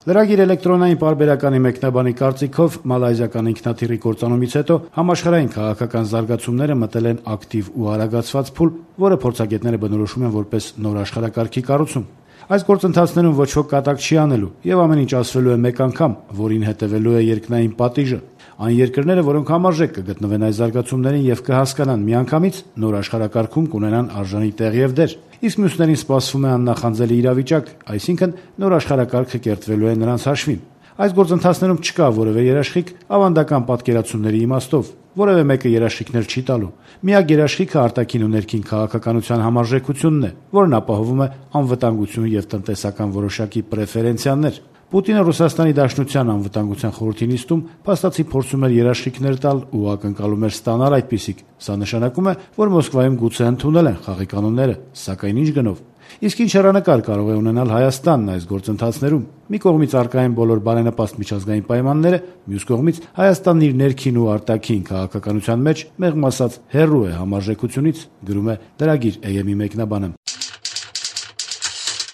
Լրագիր էլեկտրոնային պարբերականի մեկնաբանի կարծիքով մալայզիական ինքնաթիռի կործանումից հետո համաշխարհային քաղաքական զարգացումները մտել են ակտիվ ու արագացված փուլ, որը փորձագետները բնորոշում են որպես նոր աշխարհակարգի կառուցում։ Այս գործընթացներում ոչ ոք կատակ չի անելու, եւ ամեն ինչ ասվելու է մեկ անգամ, որին հետևելու է երկնային պատիժը։ Այն երկրները, որոնք համարժեք կգտնվեն այս զարգացումներին եւ կհասկանան միանգամից, նոր աշխարհակարգում կունենան արժանի տեղ եւ դեր։ Իսկ մյուսներին սպասվում է աննախանձելի իրավիճակ, այսինքն նոր աշխարհակարգը կերտվելու է նրանց հաշվին։ Այս գործընթացներում չկա որևէ երաշխիք ավանդական պատկերացումների իմաստով։ Որևէ մեկը երաշխիքներ չի տալու։ Միակ երաշխիքը արտաքին ու ներքին քաղաքականության համարժեքությունն է, որն ապահովում է անվտանգություն եւ տնտեսական որոշակի պրեֆերենցիաներ։ Պուտինը Ռուսաստանի Դաշնության անվտանգության խորհրդի նիստում փաստացի փորձում էր երաշխիքներ տալ ու ակնկալում էր ստանալ այդպիսիք։ Սա նշանակում է, որ Մոսկվայում գուցե ընդունել են խաղի կանոնները, սակայն ինչ գնով։ Իսկ ինչ հեռանկար կարող է ունենալ Հայաստանն այս գործընթացներում։ Մի կողմից առկա են բոլոր բարենպաստ միջազգային պայմանները, մյուս կողմից Հայաստանն իր ներքին ու արտաքին քաղաքականության մեջ մեղմ ասած հեռու է համարժեքությունից, գրում է լրագիր AM-ի մեկնաբանը։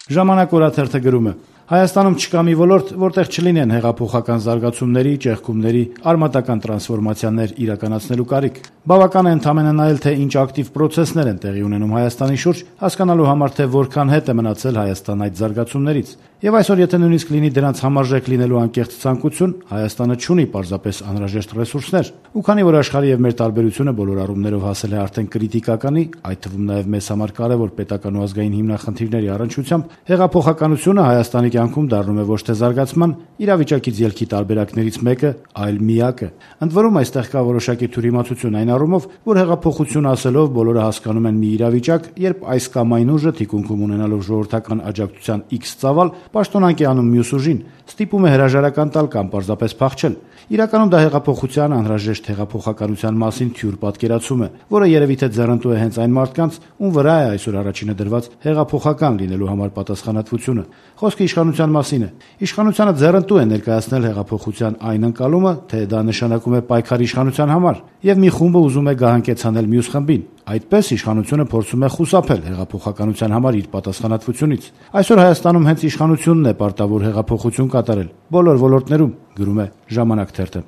Ժամանակ օրաթերթը գրում է. Հայաստանում չկա մի ոլորտ, որտեղ չլինեն հեղափոխական զարգացումների, ճեղքումների, արմատական տրանսֆորմացիաներ իրականացնելու կարիք։ Բավական է ընդամենը նայել, թե ինչ ակտիվ պրոցեսներ են տեղի ունենում Հայաստանի շուրջ, հասկանալու համար, թե որքան հետ է մնացել Հայաստան այդ զարգացումներից։ Եվ այսօր, եթե նույնիսկ լինի դրանց համարժեք լինելու անկեղծ ցանկություն, Հայաստանը չունի պարզապես անհրաժեշտ ռեսուրսներ։ Ու քանի որ աշխարհի եւ մեր տարբերությունը բոլոր առումներով հասել է արդեն կրիտիկականի, այդ թվում նաեւ մեզ համար կարեւոր պետական ու ազգային հիմնախնդիրների առնչությամբ, հեղափոխականությունը Հայաստանի կյանքում դառնում է ոչ թե զարգացման, իրավիճակից ելքի տարբերակներից մեկը, այլ միակը։ Ընդ որում այստեղ կա որոշակի թյուրիմացություն այն առումով, որ հեղափոխություն ասելով բոլորը հասկանում են մի իրավիճակ, երբ այս կամ այն ուժը թիկունքում ունենալով ժողովրդական աջակցության X ծավալ պաշտոնանկ է անում մյուս ուժին, ստիպում է հրաժարական տալ կամ պարզապես փախչել։ Իրականում դա հեղափոխության անհրաժեշտ հեղափոխականության մասին թյուր պատկերացում է, որը երևի թե ձեռնտու է հենց այն մարդկանց, ում վրա է այսօր առաջինը դրված հեղափոխական լինելու համար պատասխանատվությունը։ Խոսքը իշխանության մասին է։ Իշխանությանը ձեռնտու է ներկայացնել հեղափոխության այն ընկալումը, թե դա նշանակում է պայքար իշխանության համար, եւ մի խումբը ուզում է գահանկեցանել մյուս խմբին։ Այդպես իշխանությունը փորձում է խուսափել հեղափոխականության համար իր պատասխանատվությունից։ Այսօր Հայաստանում հենց իշխանությունն է պարտավոր հեղափոխություն կատարել բոլոր ոլորտներում, գրում է Ժամանակ թերթը։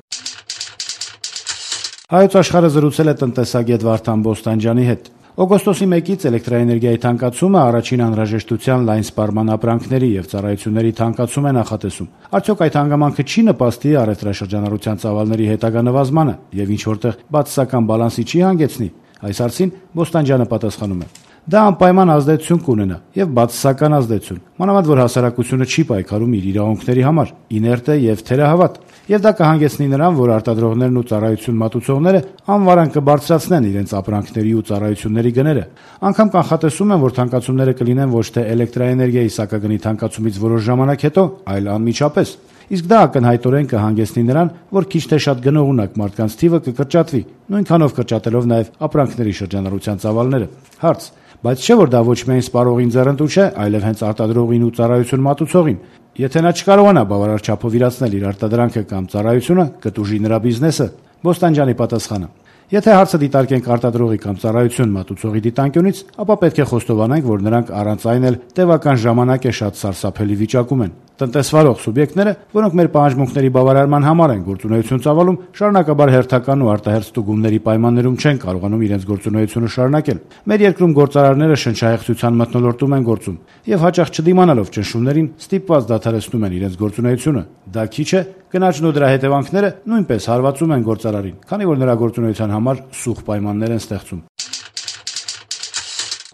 Հայոց աշխարհը զրուցել է տնտեսագետ Վարդան Բոստանջյանի հետ։ Օգոստոսի 1-ից էլեկտրաէներգիայի թանկացումը առաջին անհրաժեշտության լայն սպառման ապրանքների եւ ծառայությունների թանկացում է նախատեսում։ Արդյոք այդ հանգամանքը չի նպաստի առևտրաշրջանառության ծավալների հետագա նվազմանը եւ ինչ որտեղ բացասական բալանսի չի հանգեցնի։ Այս հարցին Բոստանջյանը պատասխանում է. Դա անպայման ազդեցություն կունենա եւ բացասական ազդեցություն, մանավանդ որ հասարակությունը չի պայքարում իր իրավունքների համար, իներտ է եւ թերահավատ, եւ դա կհանգեցնի նրան, որ արտադրողներն ու ծառայություն մատուցողները անվարան կբարձրացնեն իրենց ապրանքների ու ծառայությունների գները։ Անկամ կանխատեսում են, որ թանկացումները կլինեն ոչ թե էլեկտրաէներգիայի սակագնի թանկացումից որոշ ժամանակ հետո, այլ անմիջապես։ Իսկ դա ակնհայտորեն կհանգեցնի նրան, որ քիչ թե շատ գնողունակ մարդկանց թիվը կկրճատվի, նույնքանով կրճատելով նաև ապրանքների շրջանառության ծավալները։ Հարց. բայց չէ՞ որ դա ոչ միայն սպառողին ձեռնտու չէ, այլև հենց արտադրողին ու ծառայություն մատուցողին։ Եթե նա չկարողանա բավարար չափով իրացնել իր արտադրանքը կամ ծառայությունը, կտուժի նրա բիզնեսը։ Բոստանջյանի պատասխանը. Եթե հարցը դիտարկենք արտադրողի կամ ծառայություն մատուցողի դիտանկյունից, ապա պետք է խոստովանենք, որ նրանք առանց այն էլ տևական ժամանակ է շատ սարսափելի վիճակում են։ Տնտեսվարող սուբյեկտները, որոնք մեր պահանջմունքների բավարարման համար են գործունեություն ծավալում, շարունակաբար հերթական ու արտահերթ ստուգումների պայմաններում չեն կարողանում իրենց գործունեությունը շարունակել։ Մեր երկրում գործարարները շնչահեղձության մթնոլորտում են գործում եւ հաճախ չդիմանալով ճնշումներին ստիպված դադարեցնում են իրենց գործունեությունը։ Դա քիչ է, գնաճն ու դրա հետևանքները նույնպես հարվածում են գործարարին, քանի որ նրա գործունեության համար սուղ պայմաններ են ստեղծում։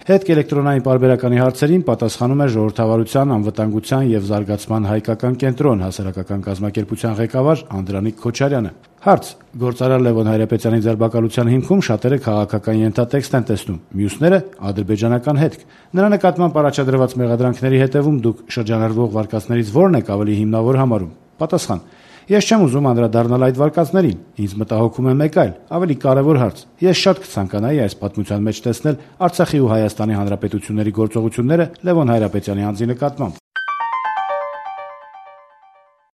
Հետք էլեկտրոնային պարբերականի հարցերին պատասխանում է Ժողովրդավարության, անվտանգության եւ զարգացման հայկական կենտրոն հասարակական կազմակերպության ղեկավար Անդրանիկ Քոչարյանը։ Հարց. Գործարար Լևոն Հայրապետյանի ձերբակալության հիմքում շատերը քաղաքական ենթատեքստ են տեսնում, մյուսները ադրբեջանական հետք։ Նրա նկատմամբ առաջադրված մեղադրանքների հետևում դուք շրջանառվող վարկածներից ո՞րն եք ավելի հիմնավոր համարում։ Պատասխան. Ես չեմ ուզում անդրադառնալ այդ վարկածներին, ինձ մտահոգում է մեկ այլ, ավելի կարևոր հարց։ Ես շատ կցանկանայի այս պատմության մեջ տեսնել Արցախի ու Հայաստանի Հանրապետությունների գործողությունները Լևոն Հայրապետյանի անձի նկատմամբ։